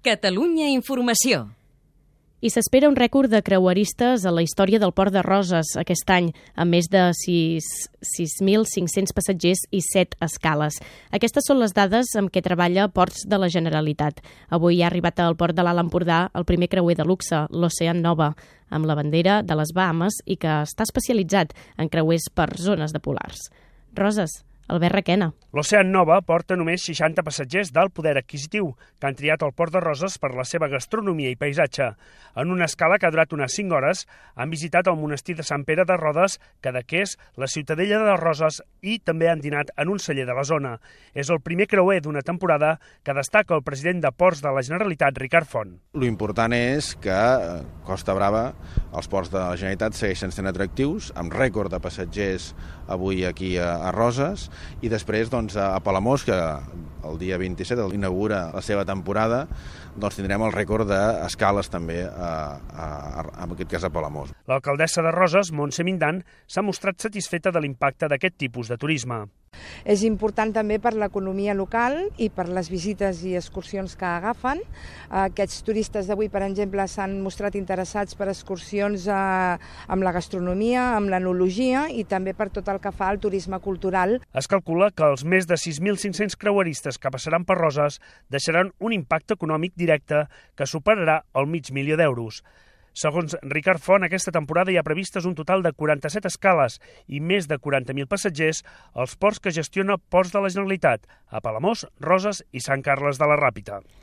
Catalunya Informació. I s'espera un rècord de creueristes a la història del Port de Roses aquest any, amb més de 6.500 passatgers i 7 escales. Aquestes són les dades amb què treballa Ports de la Generalitat. Avui ha arribat al Port de l'Alt Empordà el primer creuer de luxe, l'Ocean Nova, amb la bandera de les Bahames i que està especialitzat en creuers per zones de polars. Roses, Albert Requena. L'Ocean Nova porta només 60 passatgers d'alt poder adquisitiu que han triat el Port de Roses per la seva gastronomia i paisatge. En una escala que ha durat unes 5 hores, han visitat el monestir de Sant Pere de Rodes, Cadaqués, la Ciutadella de Roses i també han dinat en un celler de la zona. És el primer creuer d'una temporada que destaca el president de Ports de la Generalitat, Ricard Font. L'important és que Costa Brava, els ports de la Generalitat segueixen sent atractius, amb rècord de passatgers avui aquí a Roses, i després a Palamós, que el dia 27 inaugura la seva temporada, tindrem el rècord d'escales també, en aquest cas a Palamós. L'alcaldessa de Roses, Montse Mindan, s'ha mostrat satisfeta de l'impacte d'aquest tipus de turisme. És important també per l'economia local i per les visites i excursions que agafen. Aquests turistes d'avui, per exemple, s'han mostrat interessats per excursions amb la gastronomia, amb l'enologia i també per tot el que fa al turisme cultural. Es calcula que els més de 6.500 creueristes que passaran per Roses deixaran un impacte econòmic directe que superarà el $500.000 d'euros. Segons Ricard Font, aquesta temporada hi ha previstes un total de 47 escales i més de 40.000 passatgers als ports que gestiona Ports de la Generalitat, a Palamós, Roses i Sant Carles de la Ràpita.